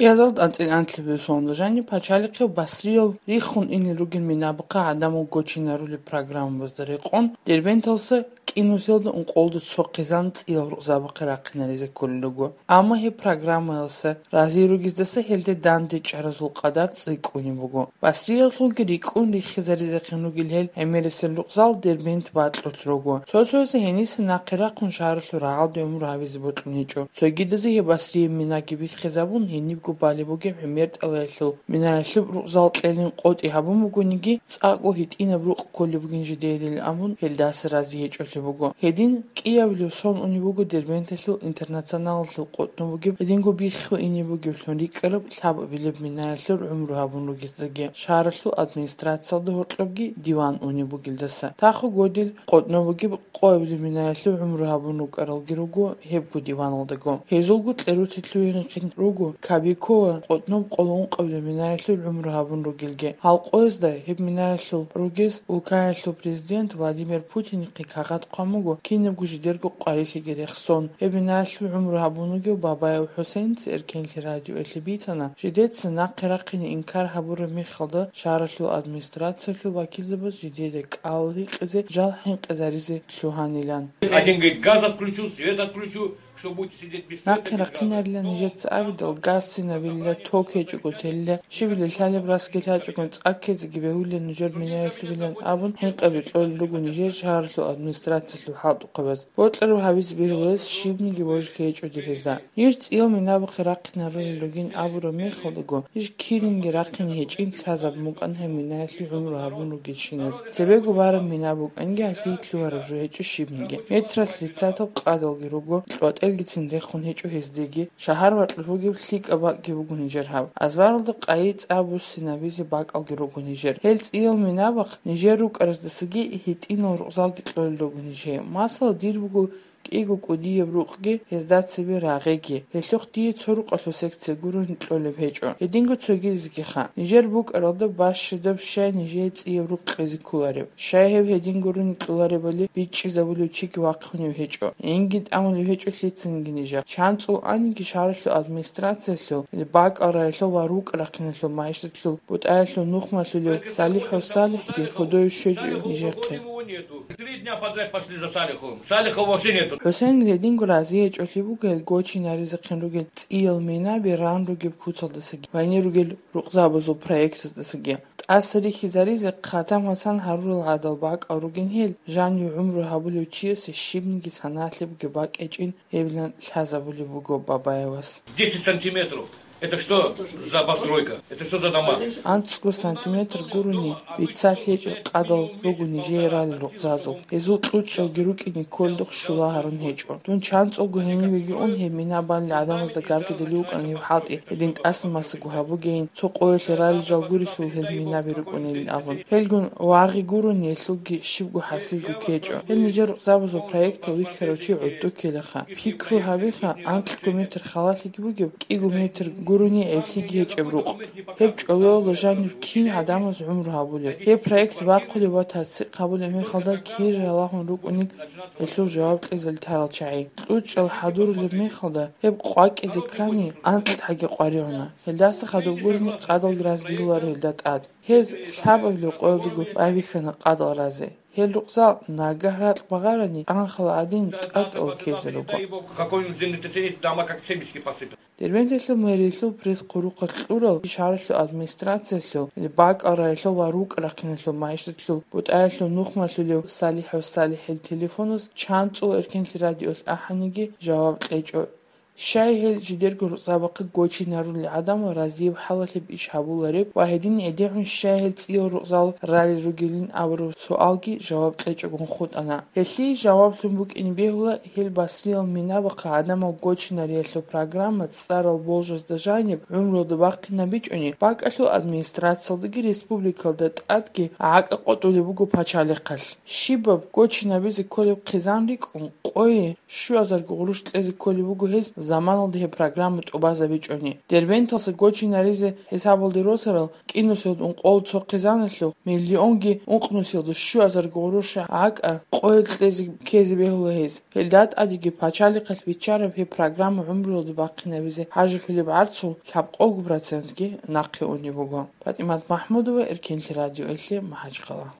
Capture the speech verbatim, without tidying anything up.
Язал анцӀил анлъабилеб соналда жаниб пачалихъе Басриял риххун инел ругел минабахъа гӀадамал гочинарулеб программабазда рекъон, Дербенталъа кӀинусиялда ункъоялда цо хъизан цӀиял рукъзабахъе рахъинаризе кколел руго. Амма гьеб программаялъа разиги ругездаса гьелде дандечӀаразул къадар цӀикӀкӀунеб буго. Басриялъулги рикӀкӀун риххизаризехъин ругел гьел гӀемерисел рукъзал Дербент бакьулел руго. Цо-цоязе гьениса нахъе рахъун шагьаралъул рагӀалде гӀумру гьабизе бокьун гьечӀо. Цогидазе гьеб Басрияб минаги биххизабун, гьенибго балеб бугеб гӀемер тӀалаялъул минаялъул рукъзал кьелин къотӀи гьабун бугониги, цӀакъго гьитӀинаб рукъ кколеб бугин жидеялин абун, гьелдаса рази гьечӀолъи буго. Гьедин кӀиабилеб сон унеб буго Дербенталъул Интернационалалъул къотӀнов бугеб, гьединго биххун ине бугеблъун рикӀкӀараб лъабабилеб минаялъул гӀумру гьабун ругездаги, шагьаралъул администрациялда гьоркьобги диван унеб бугелдаса. Тахо годил къотӀнов бугеб къоабилеб минаялъул гӀумру гьабун рукӀаралги руго гьебго диваналдаго. Гьезулго кьерутелъугьинхъин руго Кабикова къотӀноб къоло ункъабилеб минаялъул гӀумру гьабун ругелги. Гьал къоязда гьеб минаялъул ругез улкаялъул президент Владимир Путинихъе кагъат хъван буго кинабго жидерго къварилъиги рехсон. Гьеб минаялъул гӀумру гьабун вугев Бабаев ХӀусейнца Эркенлъи радиоялъе бицана, жидеца нахъе рахъине инкар гьабураб мехалда шагьаралъул администрациялъул вакилзабаз жидеда кӀал гьикъизе жал хӀинкъизаризе лъугьанилан. Один говорит: «Газ отключу, свет отключу, что будете сидеть без света, без газа?» Нахъе рахъинарилан нижеца абидал, газ синабилла, ток гьечӀого телила, щибила лъалеб расги лъачӀогон цӀаккезеги бегьулила нужер минаялъубилан абун, хӀинкъаби кьолел руго нижер шагьаралъул администрациялъул хӀалтӀухъабаз. Бокьараб гьабизе бегьуларес щибниги божилъи гьечӀо дирезда. Иш цӀиял минабахъе рахъинарулел ругин абураб мехалдаго, иш киринги рахъине гьечӀин лъазабун букӀан гьеб минаялъул гӀумру гьабун ругелщиназ. Цебего бараб мина букӀанги гьалъие лъугьараб жо гьечӀо щибниги. Метралъ лъицатал къадалги руго, кьватӀелгицин рехун гьечӀо гьездеги, шагьар бакьулеб бугеб лъикӀаб бакӀги буго нижер гьаб. Азбаралда къайи цӀа буссинабизе бакӀалги руго нижер. Гьел цӀиял минабахъ нижер рукӀараздасаги гьитӀинал рукъзалги кьолел руго нижее. Масала, дир буго кӀиго кӀудияб рукъги, гьезда цебе рагъиги. Гьелъухъ дие цо рукъалъул секция гурони кьолеб гьечӀо. Гьединго цогидазгиха. Нижер букӀаралда бащадаб щай нижее цӀияб рукъ кьезе кколареб? Щай гьеб гьедин гурони кьоларебали бичӀчӀизабулев чиги вахъунев гьечӀо. Инги тӀамулев гьечӀо лъицанги нижехъ. ЧанцӀул аниги шагьаралъул администрациялъул бакӀал раялъул ва рукъ рахъиналъул магьишатлъул бутӀаялъул нухмалъулев СалихӀ ва СалихӀги худой щвечӀо нижехъе. Три дня подряд пошли за Салиховым. Салихова вообще нету. ХӀусейн гьединго разиячӀолъи буго гьел гочинаризехъин ругел цӀиял минаби ран ругеб куцалдасаги, гьанир ругел рукъзабазул проектаздасаги. ТӀаса рихьизаризе хъатан-ватан гьарурал гӀадал бакӀал ругин гьел, жанив гӀумру гьабулев чиясе щибниги саналъи бугеб бакӀ гьечӀин гьебилан лъазабулеб буго Бабаевас. Десять сантиметров. Это что за постройка? Это что за дома? АнцӀго сантиметр гурони бицалъи гьечӀел къадал руго нижее ралел рукъзазул. Гьезул кьучӀалги рукӀине кколдухъ щула гьарун гьечӀо. Дун чанцӀулго гьенивеги ун гьеб мина балел гӀадамазда гаргадулев вукӀан гьеб хӀалтӀи, гьедин тӀаса-масаго гьабугейин, цо къоялъе ралел жал гурелъул гьел минаби рукӀунилин абун. Гьелгун вагъи гурони гьелъулги щибго хӀасилго ккечӀо. Гьел нижер рукъзабазул проектал вихьарав чи гӀодов ккелаха. Пикру гьабиха, анкьго метр халалъиги бугеб, кӀиго метр гурони гӀеблъиги гьечӀеб рукъ. Гьеб чӀолоялда жаниб кин гӀадамаз гӀумру гьабулеб? Гьеб проект бахъулеб ва тасдикъ гьабулеб мехалда кири ралагьун рукӀунел гьелъул жаваб кьезе лъарал чагӀи. КьучӀал хӀадурулеб мехалда гьеб къвакӀизе ккани, анкьгӀаги къваригӀуна. Гьелдаса хадуб гурони къадалги разбигьуларо гьелда тӀад. Гьез лъабабилеб къоялдаго байбихьана къадал разе. Гьел рукъзал нагагь ракь багъарани, анхал гӀадин тӀатӀал ккезе руго. Какой-нибудь землетрясение, дома как семечки посыпятся. Дербенталъул мэриялъул пресс-хъурухъалъ кьурал шагьаралъул администрациялъул, бакӀал раялъул ва рукъ рахъиналъул магьишатлъул бутӀаялъул нухмалъулев СалихӀ ва СалихӀил телефоназ чанцӀул Эркенлъи радиолъ ахӀаниги жаваб кьечӀо. Щай гьел жидерго рукъзабахъе гочинарулел гӀадамал разияб хӀалалъеб иш гьабулареб ва гьедин гӀедегӀун щай гьел цӀиял рукъзал ралел ругелин абураб суалги жаваб кьечӀогун хутӀана. Гьелъие жаваблъун букӀине бегьула гьел Басриял минабахъа гӀадамал гочинариялъул программа цӀарал болжазда жаниб гӀумруялда бахъинабичӀони, бакӀалъул администрациялдаги республикалда тӀадги гӀакӀа къотӀулеб буго пачалихъалъ. Щибаб гочинабизе кколеб хъизан рикӀкӀун, къое щуазарго гъурущ кьезе кколеб буго гьез заманалда гьеб программа тӀубазабичӀони. Дербенталъа гочинаризе хӀисабалде росарал кӀинусиялда ункъоялда цо хъизаналъув миллионги ункънусиялда щуазарго гъурущ гӀакӀа къое кьезе ккезе бегьула гьез. Гьелда тӀадеги пачалихъалъ биччараб гьеб программа гӀумруялда бахъинабизе хӀажалъулеб гӀарцул лъабкъого процентги нахъе унеб буго. ПатӀимат МахӀмудова, Эркинлъи радиоялъе, МахӀачхъала.